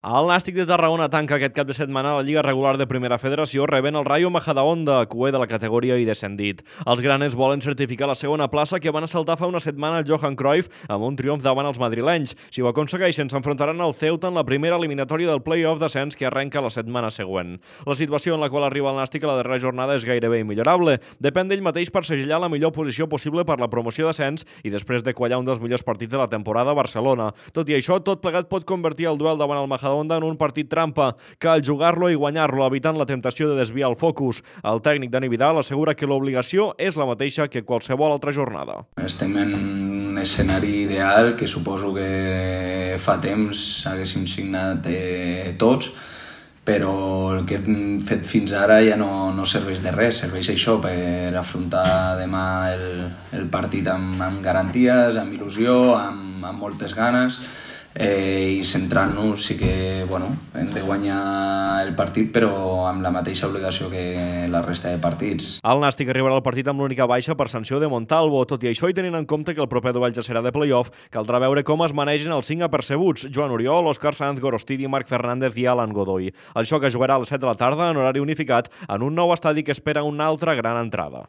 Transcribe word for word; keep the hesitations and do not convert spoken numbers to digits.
El Nàstic de Tarragona tanca aquest cap de setmana la Lliga Regular de Primera Federació rebent el Rayo Majadahonda, cué de la categoria i descendit. Els granes volen certificar la segona plaça que van assaltar fa una setmana el Johan Cruyff amb un triomf davant els madrilenys. Si ho aconsegueixen, s'enfrontaran al Ceuta en la primera eliminatòria del play-off d'ascens que arrenca la setmana següent. La situació en la qual arriba el Nàstic a la darrera jornada és gairebé immillorable. Depèn d'ell mateix per segellar la millor posició possible per la promoció d'ascens i després de quallar un dels millors partits de la temporada a Barcelona. Tot i això, tot plegat pot convertir el duel davant el Majadahonda en un partit trampa, cal jugar-lo i guanyar-lo, evitant la temptació de desviar el focus. El tècnic Dani Vidal assegura que l'obligació és la mateixa que qualsevol altra jornada. Estem en un escenari ideal que suposo que fa temps haguéssim signat eh, tots, però el que hem fet fins ara ja no, no serveix de res, serveix això per afrontar demà el, el partit amb, amb garanties, amb il·lusió, amb, amb moltes ganes, eh, i centrant-nos sí que bueno, hem de guanyar el partit però amb la mateixa obligació que la resta de partits. El Nàstic arribarà al partit amb l'única baixa per sanció de Montalvo. Tot i això, i tenint en compte que el proper duel ja serà de play-off, caldrà veure com es manegen els cinc apercebuts: Joan Oriol, Òscar Sanz, Gorostidi, Marc Fernández i Alan Godoy. El xoc es jugarà a les set de la tarda en horari unificat en un nou estadi que espera una altra gran entrada.